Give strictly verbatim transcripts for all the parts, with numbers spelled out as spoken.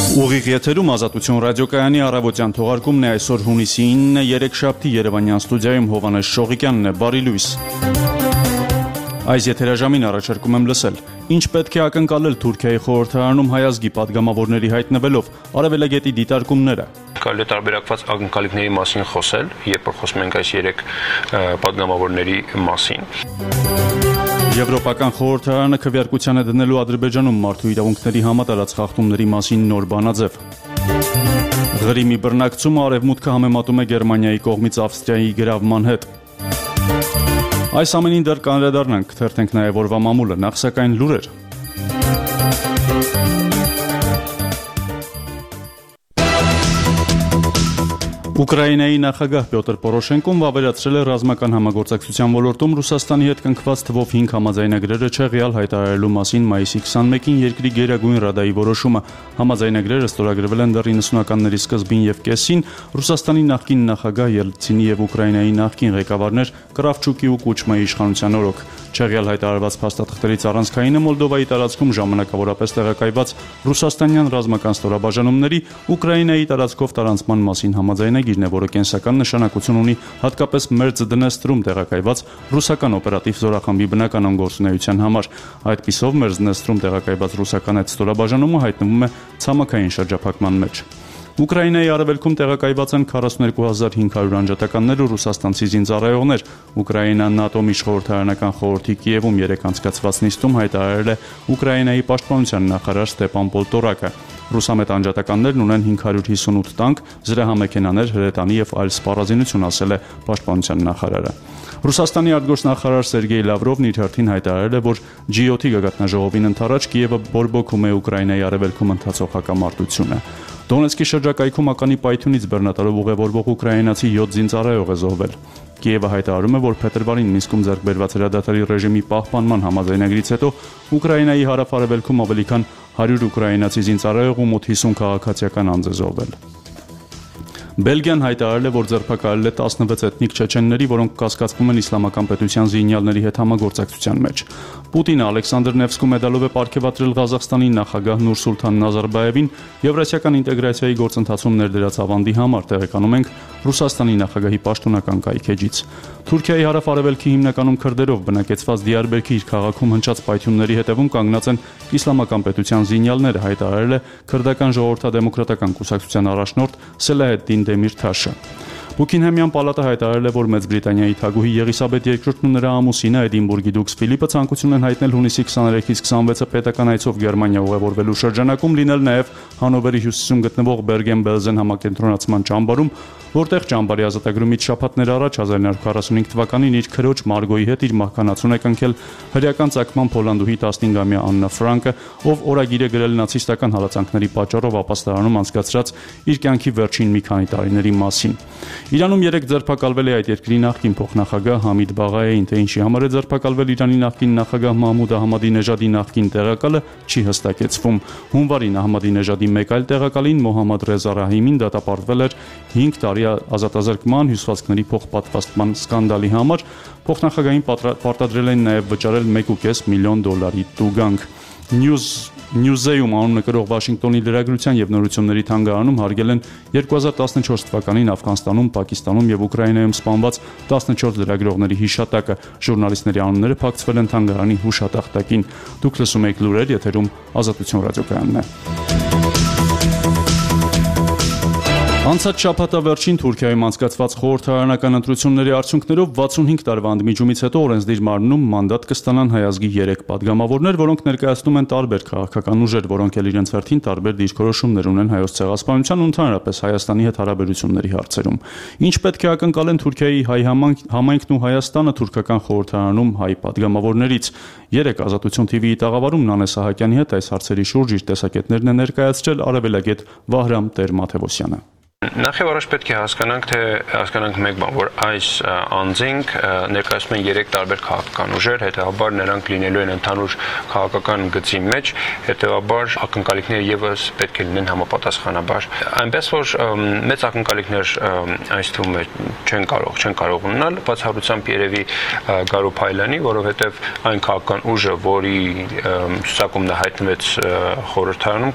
Ուղիղ եթերում Ազատություն ռադիոկայանի առավոտյան թողարկումն է այսօր հունիսի ինը երեքշաբթի Երևանյան ստուդիայում Հովհաննես Շողիկյանն է, բարի լույս։ Այս եթերաժամին առաջարկում եմ լսել. Ինչ պետք է ակնկալել Թուրքիայի խորհրդարանում հայազգի падգամավորների հայտնվելով, Արևելագետի դիտարկումները։ Կարելի է տարբերակված ակնկալիքների մասին խոսել, երբ որ խոսում ենք այս երեք падգամավորների մասին։ Եվրոպական խորհրդարանը քվեարկության է դնելու Ադրբեջանում մարդու իրավունքների համատարած խախտումների մասին նոր բանաձև։ Ղրիմի բռնակցումը Արևմուտքը համեմատում է Գերմանիայի կողմից Ավստրիայի գրավման հետ։ Այս ամենին դեռ կանդրադառնանք, թերթենք նաև օրվա մամուլը, նախ սակայն լուրեր։ Ուկրաինայի նախագահ Պյոտր Պորոշենկոն վավերացրել է ռազմական համագործակցության ոլորտում Ռուսաստանի հետ կնքված թվով հինգ համաձայնագրերը չեղյալ հայտարարելու մասին մայիսի քսանմեկին երկրի Գերագույն Ռադայի որոշումը։ Համաձայնագրերը ստորագրվել են դեռ իննսունականների սկզբին եւ կեսին Ռուսաստանի նախկին նախագահ Ելցինի եւ Ուկրաինայի նախկին ղեկավարներ Կրավչուկի ու Կուչմայի իշխանության օրոք։ Չեղյալ հայտարարված փաստաթղթերից առանցքայինը Մոլդովայի տարածքում ժամանակավորապես տեղակայված ռուսաստանյան ռազմական ստորաբաժանումների Ուկրաինայի տարածքով տարանցման մասին համաձայնագիրն է, որը կենսական նշանակություն ունի հատկապես Մերձդնեստրում տեղակայված ռուսական օպերատիվ զորախմբի բնականon գործունեության համար։ Այդպիսով Մերձդնեստրում տեղակայված ռուսական այդ ստորաբաժանումը հայտնվում է ցամաքային շրջափակման մեջ։ Ուկրաինայի արևելքում տեղակայված են քառասունութ հազար հինգ հարյուր անջատականներ ու ռուսաստանցի զինծառայողներ։ Ուկրաինան ՆԱՏՕ միջխորհրդարանական խորհրդի Կիևում երեկ անցկացված նիստում հայտարարել է Ուկրաինայի պաշտպանության նախարար Ստեպան Պոլտորակը։ Ռուսամետ անջատականներն ունեն հինգ հարյուր հիսունութ տանկ, զրահամեքենաներ, հրետանի եւ այլ սպառազինություն, ասել է պաշտպանության նախարարը։ Ռուսաստանի արտգործնախարար Սերգեյ Լավրովն իր հերթին հայտարարել է, որ Ջի յոթի գագաթնաժողովին ընթരാճ Կիևը բորբոքում է Ուկրաինայի արևելքում ընթացող հակամարտությունը։ Դոնեցկի շրջակայքում ականի պայթյունից բեռնատարով ուղևորվող ուկրաինացի յոթ զինծառայող է զոհվել։ Կիևը հայտարարում է, որ փետրվարին Մինսկում ձեռք բերված հրադադարի ռեժիմի պահպանման համաձայնագրից հետո Ուկրաինայի հարավ-արևելքում ավելի քան հարյուր ուկրաինացի զինծառայող ու մոտ հիսուն քաղաքացիական անձ է զոհվել։ Բելգիան հայտարարել է, որ ձերբակալել է տասնվեց էթնիկ չեչենների, որոնք կասկածվում են իսլամական պետության զինյալների հետ համագործակցության մեջ։ Պուտինը Ալեքսանդր Նևսկու մեդալով է պարգևատրել Ղազախստանի նախագահ Նուրսուլթան Նազարբաևին Եվրասիական ինտեգրացիայի գործընթացում ներդրած ավանդի համար, տեղեկանում ենք Ռուսաստանի նախագահի պաշտոնական կայքեջից։ Թուրքիայի հարավ-արևելքի հիմնականում քրդերով բնակեցված Դիարբերքի իր քաղաքում հնչած պայթյունների հետևում կանգնած են իսլամական պետության զինյալները, հայտարարել է քրդական ժողովրդադեմոկրատական կուսակցության առաջնորդ Սելահեդդին Դեմիրթաշը։ Բուքինհեմյան պալատը հայտարարել է, որ Մեծ Բրիտանիայի թագուհի Եղիսաբեթ երկրորդն ու նրա ամուսինը Էդինբուրգի դուքս Ֆիլիպը ցանկություն են հայտնել հունիսի քսաներեքից քսանվեցը պետական այցով Գերմանիա ուղևորվելու շրջանակում լինել նաև Հանովերի հյուսիսում գտնվող Բերգեն-Բելզեն համակենտրոնացման ճամբարում, որտեղ ճամբարի ազատագրումից շաբաթներ առաջ հազար նոյ հարյուր քառասունհինգ թվականին իր քրոջ Մարգոյի հետ իր մահկանացուն է կնքել հրեական ծագման Պոլանդուհի տասնհինգամյա Աննա Ֆրանկը, ով օրագիր է գրել նացիստական հալածանքների պատճառով ապաստարանում անցկացրած իր կյանքի վերջին մի քանի տարիների մասին։ Իրանում երեք ձերբակալվել է այդ երկրի նախկին փոխնախագահ Համիդ Բաղայեին, թե ինչի համար է ձերբակալվել Իրանի նախկին նախագահ Մահմուդ Ահմադինեժադի նախկին տեղակալը, չի հստակեցվում։ Հունվարին Ահմադինեժադի մեկ այլ տեղակալին Մոհամմադ Ռեզա Ռահիմին դատապարտվել էր հինգ տարի ազատազրկման, հյուսվածքների փոխպատվաստման սկանդալի համար, փոխնախագահին պարտադրել են նաև վճարել մեկ ու կես միլիոն դոլարի տուգանք։ News Newseum անունը կրող Վաշինգտոնի լրագրության եւ նորությունների թանգարանում հարգել են երկու հազար տասնչորս թվականին Աֆղանստանում, Պակիստանում եւ Ուկրաինայում սպանված տասնչորս լրագրողների հիշատակը։ Ժուրնալիստների անունները փակցվել են թանգարանի հուշատախտակին։ Դուք լսում եք լուրեր, եթերում Ազատություն ռադիոկայանն է։ Անցած շաբաթավերջին Թուրքիայում անցկացված խորհրդարանական ընտրությունների արդյունքներով վաթսունհինգ տարվա ընդմիջումից հետո օրենսդիր մարմնում մանդատ կստանան հայազգի երեք падգամավորներ, որոնք ներկայացնում են տարբեր քաղաքական ուժեր, որոնք էլ իրենց հերթին տարբեր դիրքորոշումներ ունեն Հայոց ցեղասպանության ու ընդհանրապես Հայաստանի հետ հարաբերությունների հարցերում։ Ինչ պետք է ակնկալեն Թուրքիայի հայ համայնքն ու Հայաստանը թուրքական խորհրդարանում հայ падգամավորներից։ Երեք Ազատություն թիվիի տաղավարում Նանե Սահակյանի հետ այս հարցերի շուրջ իր տեսակետներն է ներկայացրել արևելագետ Վահրամ Տեր-Մաթևոսյանը։ Նախ եւ առաջ պետք է հասկանանք, թե հասկանանք մեկ բան, որ այս անձինք ներկայացնում են երեք տարբեր քաղաքական ուժեր, հետեւաբար նրանք լինելու են ընդհանուր քաղաքական գծի մեջ, հետեւաբար ակնկալիքները եւս պետք է լինեն համապատասխանաբար։ Այնպես որ մեծ ակնկալիքներ այս թվում չեն կարող, չեն կարող ունենալ, բացառությամբ երևի Գարու Փայլյանի, որովհետեւ այն քաղաքական ուժը, որի ցուցակումն հայտնվեց խորհրդարանում,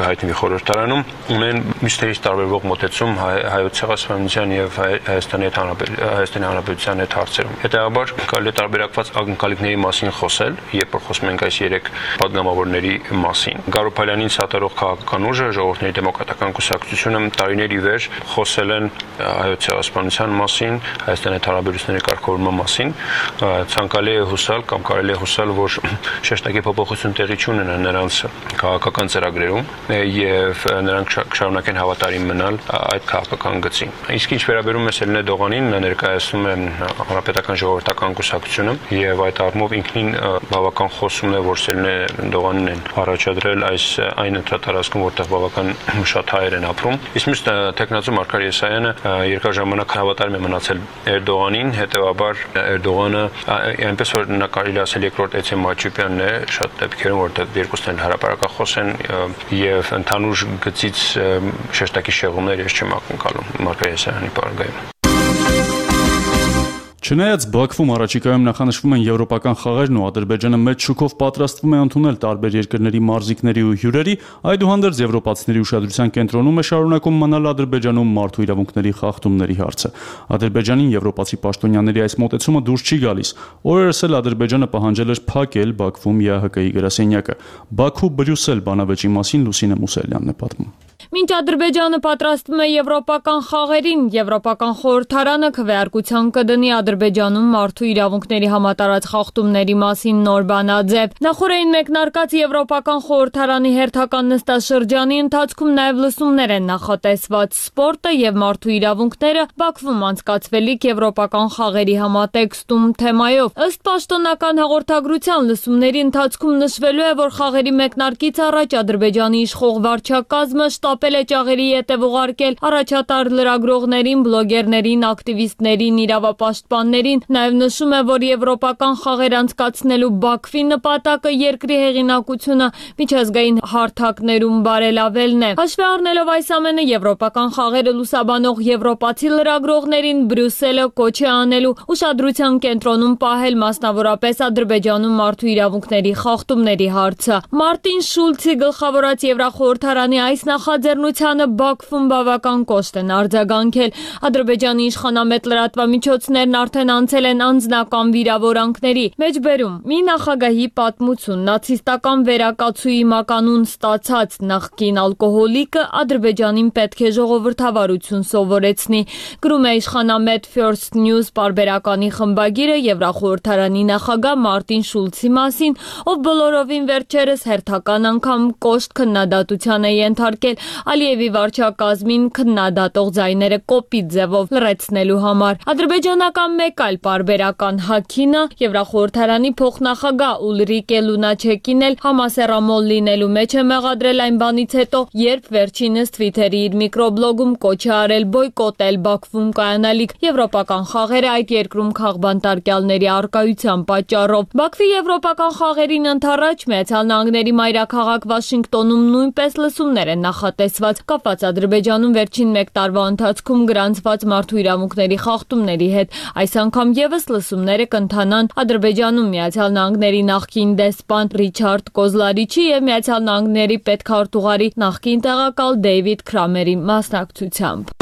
հայտնվի խորհրդարանում, ունեն միշտ տարբերվող մոտեցում հայոց ցեղասպանության եւ Հայաստանի Հայաստանի Հանրապետության հետ հարցերում։ Հետեւաբար կարելի է տարբերակված ակնկալիքների մասին խոսել, երբ խոսում ենք այս երեք падգամավորների մասին։ Գարու Փայլյանին սատարող քաղաքական ուժը, Ժողովրդների դեմոկրատական կուսակցությունը տարիների վեր խոսել են հայոց ցեղասպանության մասին, Հայաստանի հարաբերությունների կարգավորման մասին։ Ցանկալի է հուսալ կամ կարելի է հուսալ, որ շեշտակի փոփոխություն տեղի չունենա նրանց քաղաքական ծրագրերում եւ նրանք կշարունակեն հավատարիմ մնալ այդ քաղաքական գծին։ Իսկ ինչ վերաբերում է Սելինե Դողանին, նա ներկայացնում է Հանրապետական ժողովրդական կուսակցությունը եւ այդ առումով ինքնին բավական խոսում է, որ Սելինե Դողանին են առաջադրել այս այն ընտրատարածքում, որտեղ բավական շատ հայեր են ապրում։ Իսկ մյուս տեխնացու Մարգար Եսայանը երկար ժամանակ հավատարիմ է մնացել Էրդողանին, հետեւաբար Էրդողանը այնպես որ նա կարելի ասել երկրորդ Էցեմ Մաչուպյանն է շատ դեպքերում, որտեղ երկուսն են հրապարակախոս են եւ ընդհանուր գծից շեշտակի շեղումներ ես չեմ ակնկալում Մարգար Եսայանի պարագայում։ Չնայած Բաքվում առաջիկայում նախանշվում են եվրոպական խաղերն ու Ադրբեջանը մեծ շուկով պատրաստվում է ընդունել տարբեր երկրների մարզիկների ու հյուրերի, այդուհանդերձ եվրոպացիների ուշադրության կենտրոնում է շարունակում մնալ Ադրբեջանում մարդու իրավունքների խախտումների հարցը։ Ադրբեջանին եվրոպացի պաշտոնյաների այս մոտեցումը դուրս չի գալիս։ Օրերս էլ Ադրբեջանը պահանջել էր փակել Բաքվում ԵԱՀԿ-ի գրասենյակը։ Բաքու Բրյուսել բանավեճի մասին Լուսինե Մուսելյանն է պատմում։ Մինչ Ադրբեջանը պատրաստվում է եվրոպական խաղերին, Եվրոպական խորհրդարանը քվեարկության կդնի Ադրբեջանում մարդու իրավունքների համատարած խախտումների մասին նոր բանաձև։ Նախորդին մեկնարկած Եվրոպական խորհրդարանի հերթական նստաշրջանի ընթացքում նաև լսումներ են նախատեսված։ Սպորտը եւ մարդու իրավունքները Բաքվում անցկացվելիք Եվրոպական խաղերի համատեքստում թեմայով։ Ըստ պաշտոնական հաղորդագրության լսումների ընթացքում նշվելու է, որ խաղերի մեկնարկից առաջ Ադրբեջանի իշխող վարչակազմը շտապել է ճաղերի ետև ուղարկել առաջատար լրագրողներին, բլոգերներին, ակտիվիստներին, իրավապաշտպաններին։ Նաև նշում է, որ եվրոպական խաղեր անցկացնելու Բաքվի նպատակը երկրի հեղինակությունը միջազգային հարթակներում բարելավելն է։ Հաշվի առնելով այս ամենը, եվրոպական խաղերը լուսաբանող եվրոպացի լրագրողներին Բրյուսելը կոչ է անելու ուշադրության կենտրոնում պահել մասնավորապես Ադրբեջանում մարդու իրավունքների խախտումների հարցը։ Մարտին Շուլցի գլխավորած Եվրախորհրդարանի այս նախաձեռնությանը Բաքվում բավական կոշտ են արձագանքել։ Ադրբեջանի իշխանամետ լրատվամիջոցներն արդեն անցել են անձնական վիրավորանքների։ Մեջբերում մի նախագահի պատմություն, նացիստական վերակացուի մականուն ստացած նախկին ալկոհոլիկը Ադրբեջանին պետք է ժողովրդավարություն սովորեցնի։ Գրում է իշխանամետ First News պարբերականի խմբագիրը Եվրախորհրդարանի նախագահ Մարտին Շուլցի մասին, ով բոլորովին վերջերս հերթական անգամ կոշտ քննադատության է ենթարկել Ալիևի վարչակազմին քննադատող ձայները կոպիտ ձևով լրացնելու համար։ Ադրբեջանական մեկ այլ պարբերական հագինը Եվրախորհրդարանի փոխնախագահ Ուլրիկե Լունաչեկին էլ համասեռամոլ լինելու մեջ է մեղադրել այն բանից հետո, երբ վերջինս Twitter-ի իր միկրոբլոգում կոչ է արել բոյկոտել Բաքվում կայանալիք եվրոպական խաղերը այդ երկրում քաղբանտարկյալների առկայության պատճառով։ Բաքվի եվրոպական խաղերին ընդառաջ Միացյալ Նահանգների մայրաքաղաք Վաշինգտոնում նույնպես լսումներ են նախատեսված կապված Ադրբեջանում վերջին մեկ տարվա ընթացքում գրանցված մարդու իրավունքների խախտումների հետ։ Այս անգամ եւս լսումները կընթանան Ադրբեջանում Միացյալ Նահանգների նախկին դեսպան Ռիչարդ Կոզլարիչի եւ Միացյալ Նահանգների պետքարտուղարի նախկին տեղակալ Դեյվիդ Քրամերի մասնակցությամբ։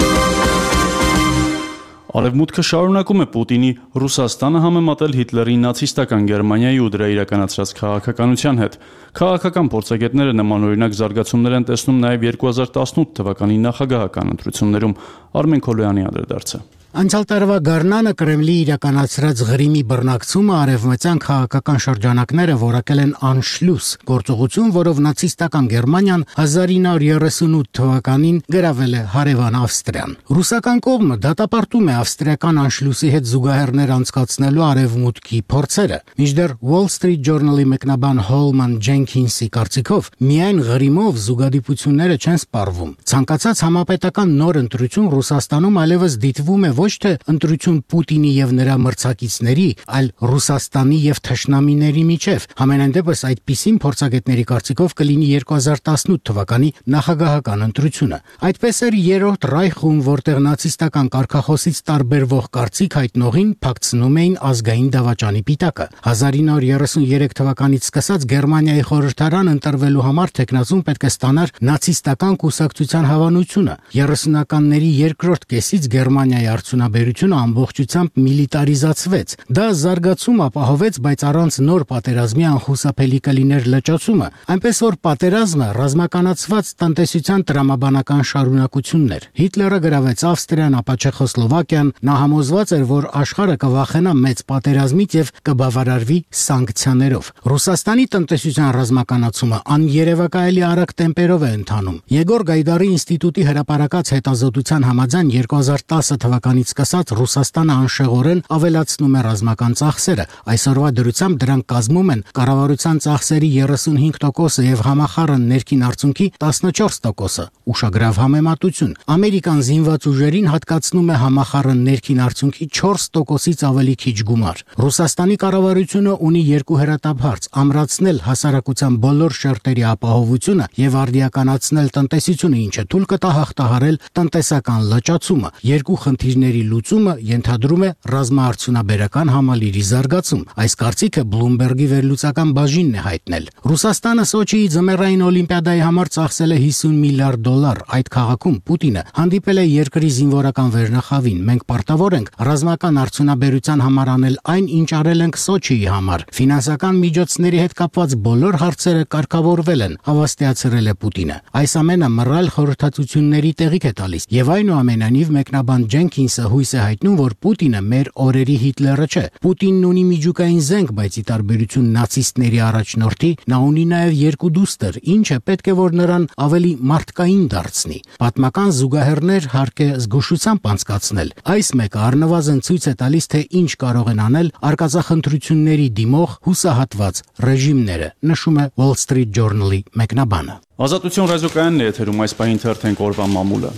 Արևմուտքը շարունակում է Պուտինի Ռուսաստանը համեմատել Հիտլերի նացիստական Գերմանիայի ու դրա իրականացրած քաղաքականության հետ։ Քաղաքական փորձագետները նմանօրինակ զարգացումներ են տեսնում նաև երկու հազար տասնութ թվականի նախագահական ընտրություններում։ Արմեն Քոլոյանի անդրադարձը։ Անցյալ տարվա գարնանը Կրեմլի իրականացրած Ղրիմի բռնակցումը արևմտյան քաղաքական շրջանակները որակել են անշլուս, գործողություն, որով նացիստական Գերմանիան հազար ինը հարյուր երեսունութ թվականին գրավել է հարևան Ավստրիան։ Ռուսական կողմը դատապարտում է ավստրիական անշլուսի հետ զուգահեռներ անցկացնելու արևմուտքի փորձերը։ Մինչդեռ Wall Street Journal-ի մեկնաբան Հոլման Ջենքինսի կարծիքով միայն Ղրիմով զուգադիպությունները չեն սպառվում։ Ցանկացած համապետական նոր ընտրություն Ռուսաստանում այլևս դիտվում է ոչ թե ընտրություն Պուտինի եւ նրա մրցակիցների, այլ Ռուսաստանի եւ թշնամիների միջև։ Համենայն դեպս այդպիսին փորձագետների կարծիքով կլինի երկու հազար տասնութ թվականի նախագահական ընտրությունը։ Այդպես էր երրորդ Ռայխում, որտեղ նացիստական կարգախոսից տարբերվող կարծիք հայտնողին փակցնում էին ազգային դավաճանի պիտակը։ հազար ինը հարյուր երեսուներեք թվականից սկսած Գերմանիայի խորհրդարան ընտրվելու համար տեխնացուն պետք է ստանար նացիստական կուսակցության հավանությունը։ երեսունականների երկրորդ կեսից Գերմանիայի արդյունաբերությունը ամբողջությամբ միլիտարիզացվեց։ Դա զարգացում ապահովեց, բայց առանց նոր պատերազմի անխուսափելի կլիներ լճացումը, այնպես որ պատերազմը ռազմականացված տնտեսության տրամաբանական շարունակությունն էր։ Հիտլերը գրավեց Ավստրիան, ապա Չեխոսլովակիան, նա համոզված էր, որ աշխարհը կվախենա մեծ պատերազմից եւ կբավարարվի սանկցիաներով։ Ռուսաստանի տնտեսության ռազմականացումը աներևակայելի արագ տեմպերով է ընթանում։ Եգոր Գայդարի ինստիտուտի հրապարակած հետազոտության համաձայն երկու հազար տասը թվականից սկսած Ռուսաստանը անշեղորեն ավելացնում է ռազմական ծախսերը։ Այսօրվա դրությամբ դրանք կազմում են կառավարության ծախսերի երեսունհինգ տոկոսը եւ համախառն ներքին արդյունքի տասնչորս տոկոսը։ Ուշագրավ համեմատություն։ Ամերիկան զինված ուժերին հատկացնում է համախառն ներքին արդյունքի չորս տոկոսից ավելի քիչ գումար։ Ռուսաստանի կառավարությունը ունի երկու հրատապարծ՝ ամրացնել հասարակության բոլոր շերտերի ապահովությունը եւ արդիականացնել տնտեսությունը, ինչը թույլ կտա հաղթահարել տնտեսական լճացումը։ Երկու խնդիրների լուծումը ենթադրում է ռազմաարդյունաբերական համալիրի զարգացում։ Այս կարծիքը Բլումբերգի վերլուծական բաժինն է հայտնել։ Ռուսաստանը Սոչիի ձմեռային օլիմպիադայի համար ծախսել է հիսուն միլիարդ դոլար։ Այդ քաղաքում Պուտինը հանդիպել է երկրի զինվորական վերնախավին։ Մենք պարտավոր ենք ռազմական արդյունաբերության համար անել այն, ինչ արել ենք Սոչիի համար։ Ֆինանսական միջոցների հետ կապված բոլոր հարցերը կարգավորվել են, հավաստիացրել է Պուտինը։ Այս ամենը մռայլ խորհրդատվությունների տեղիք է տալիս եւ այնուամենայնիվ մեկնաբան Ջենքինսը հույս է հայտնում, որ Պուտինը մեր օրերի Հիտլերը չէ։ Պուտինն ունի միջուկային զենք, բայց ի տարբերություն նացիստների առաջնորդի, նա ունի նաև երկու դուստր, ինչը պետք է որ նրան ավելի մարդկային դարձնի։ Պատմական զուգահեռներ հարկ է զգուշությամբ անցկացնել։ Այս մեկը առնվազն ցույց է տալիս, թե ինչ կարող են անել արկածախնդրությունների դիմող հուսահատված ռեժիմները, նշում է Wall Street Journal-ի մեկնաբանը։ Ազատություն ռադիոկայանն է եթերում այս պահին թերթենք օրվա մամուլը։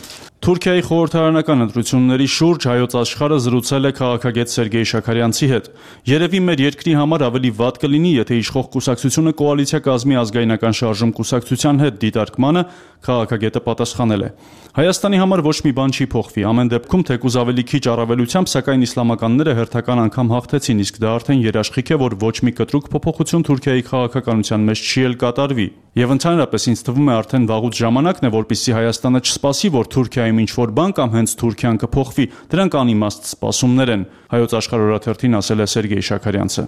Թուրքիայի խորհրդարանական ընտրությունների շուրջ հայոց աշխարհը զրուցել է քաղաքագետ Սերգեյ Շաքարյանցի հետ։ Երևի մեր երկրի համար ավելի վատ կլինի, եթե իշխող կուսակցությունը կոալիցիա կազմի ազգայնական շարժում կուսակցության հետ դիտարկմանը, քաղաքագետը պատասխանել է։ Հայաստանի համար ոչ մի բան չի փոխվի։ Ամեն դեպքում թեկուզ ավելի քիչ առավելությամբ, սակայն իսլամականները հերթական անգամ հաղթեցին, իսկ դա արդեն երաշխիք է, որ ոչ մի կտրուկ փոփոխություն Թուրքիայի քաղաքականության մեջ չի էլ կատարվի։ Եվ ընդհանրապես ինձ թվում է արդեն վաղուց ժամանակն է, որպեսզի Հայաստանը չսպասի, որ Թուրքիայում ինչ-որ բան կամ հենց Թուրքիան կփոխվի։ Դրանք անիմաստ սպասումներ են, հայոց աշխարհ օրաթերթին ասել է Սերգեյ Շաքարյանցը։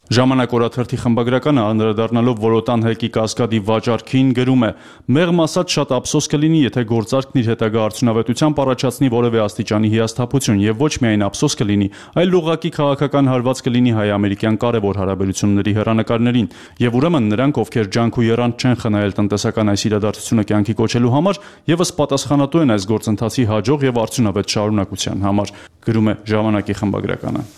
Ժամանակ օրաթերթի խմբագրականը անդրադառնալով Որոտան հեկի կասկադի վաճառքին գրում է. «Մեղմ ասած շատ ափսոս կլինի, եթե գործարքն իր հետագա արդյունավետությամբ առաջացնի որևէ աստիճանի հիասթափություն, եւ ոչ միայն ափսոս կլինի, այլ ուղղակի քաղաքական հարված կլինի հայ-ամերիկյան կարևոր հարաբերությունների հեռանկարներին, եւ ուրեմն նրանք, ովքեր ջանք ու եռանդ չեն խնայել տնտեսական այս իրադարձությունը կյանքի կոչելու համար, եւս պատասխանատու են այս գործընթացի հաջող եւ արդյունավետ շարունակության համար», գրում է Ժամանակի խմբագրականը։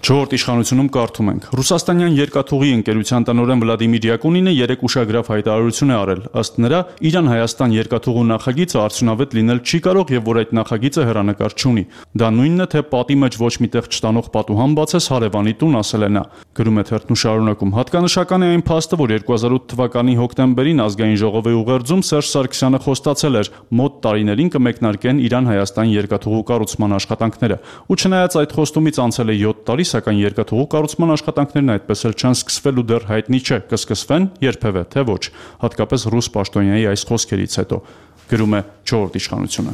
Չորրորդ իշխանությունում կարդում ենք. Ռուսաստանյան երկաթուղի ընկերության տնօրեն Վլադիմիր Յակունինը երեք ուշագրավ հայտարարություն է արել։ Ըստ նրա, Իրան-Հայաստան երկաթուղու նախագիծը արդյունավետ լինել չի կարող եւ որ այդ նախագիծը հեռանկար չունի։ Դա նույնն է, թե պատի մեջ ոչ միտեղ չտանող պատուհան բացես հարևանի տուն, ասել է նա։ Գրում է թերթն ու շարունակում. Հատկանշական է այն փաստը, որ երկու հազար ութ թվականի հոկտեմբերին ազգային ժողովի ուղերձում Սերժ Սարգսյանը խոստացել էր մոտ տարիներին կմեկնարկեն Իրան-Հայաստան երկաթուղու կառուցման աշխատանքները։ Ու չնայած այդ խոստումից անցել է յոթ տարի, սակայն երկաթուղու կառուցման աշխատանքներն այդպես էլ չեն սկսվել ու դեռ հայտնի չէ կսկսվեն երբևէ թե ոչ, հատկապես ռուս պաշտոնյայի այս խոսքերից հետո, գրում է չորրորդ իշխանությունը։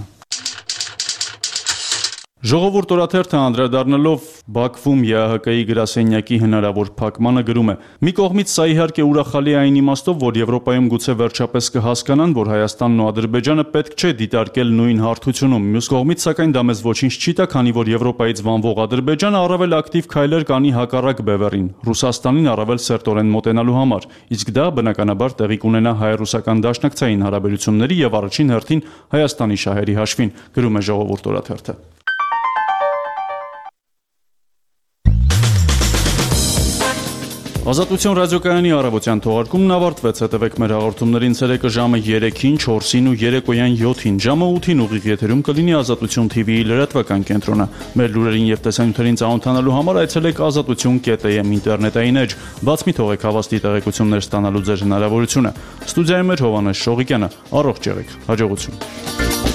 Ժողովուրդ օրաթերթը անդրադառնալով Բաքվում ԵԱՀԿ-ի գրասենյակի հնարավոր փակմանը գրում է. «Մի կողմից սա իհարկե ուրախալի է այն իմաստով, որ Եվրոպայում գուցե վերջապես կհասկանան, որ Հայաստանն ու Ադրբեջանը պետք չէ դիտարկել նույն հարթությունում։ Մյուս կողմից, սակայն դա մեզ ոչինչ չի տա, քանի որ Եվրոպայից վանվող Ադրբեջանը առավել ակտիվ քայլեր կանի հակառակ բևեռին՝ Ռուսաստանին առավել սերտորեն մոտենալու համար, իսկ դա բնականաբար տեղի կունենա հայ-ռուսական դաշնակցային հարաբերությունների եւ առաջին հերթին Հայաստանի շահերի հաշվին», գրում է Ժողովուրդ օրաթերթը։ Ազատություն ռադիոկայանի առավոտյան թողարկումն ավարտվեց։ Հետևեք մեր հաղորդումներին ցերեկը ժամը երեքին, չորսին ու երեկոյան յոթին, ժամը ութին ուղիղ եթերում կլինի Ազատություն թի վիի լրատվական կենտրոնը։ Մեր լուրերին եւ տեսանյութերին ծանոթանալու համար այցելեք ազատություն կետ էյ էմ ինտերնետային էջ։ Բաց մի թողեք հավաստի տեղեկություններ ստանալու ձեր հնարավորությունը։ Ստուդիայում էր Հովհաննես Շողիկյանը։ Առողջ եղեք։ Հաջողություն։